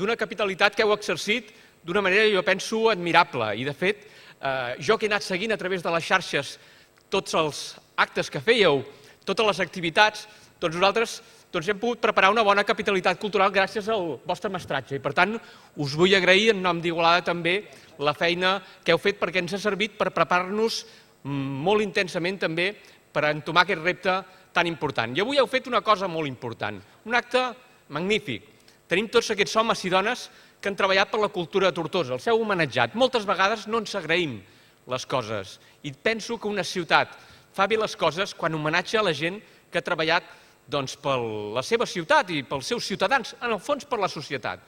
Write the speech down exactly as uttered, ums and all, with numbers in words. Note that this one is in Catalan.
d'una capitalitat que heu exercit d'una manera, jo penso, admirable. I, de fet, jo que he anat seguint a través de les xarxes tots els actes que fèieu, totes les activitats, doncs nosaltres hem pogut preparar una bona capitalitat cultural gràcies al vostre mestratge. I, per tant, us vull agrair en nom d'Igualada també la feina que heu fet perquè ens ha servit per preparar-nos molt intensament també per entomar aquest repte tan important. I avui heu fet una cosa molt important, un acte magnífic. Tenim tots aquests homes i dones que han treballat per la cultura de Tortosa, els heu homenatjat. Moltes vegades no ens agraïm les coses i penso que una ciutat fa bé les coses quan homenatja a la gent que ha treballat per la seva ciutat i pels seus ciutadans, en el fons per la societat.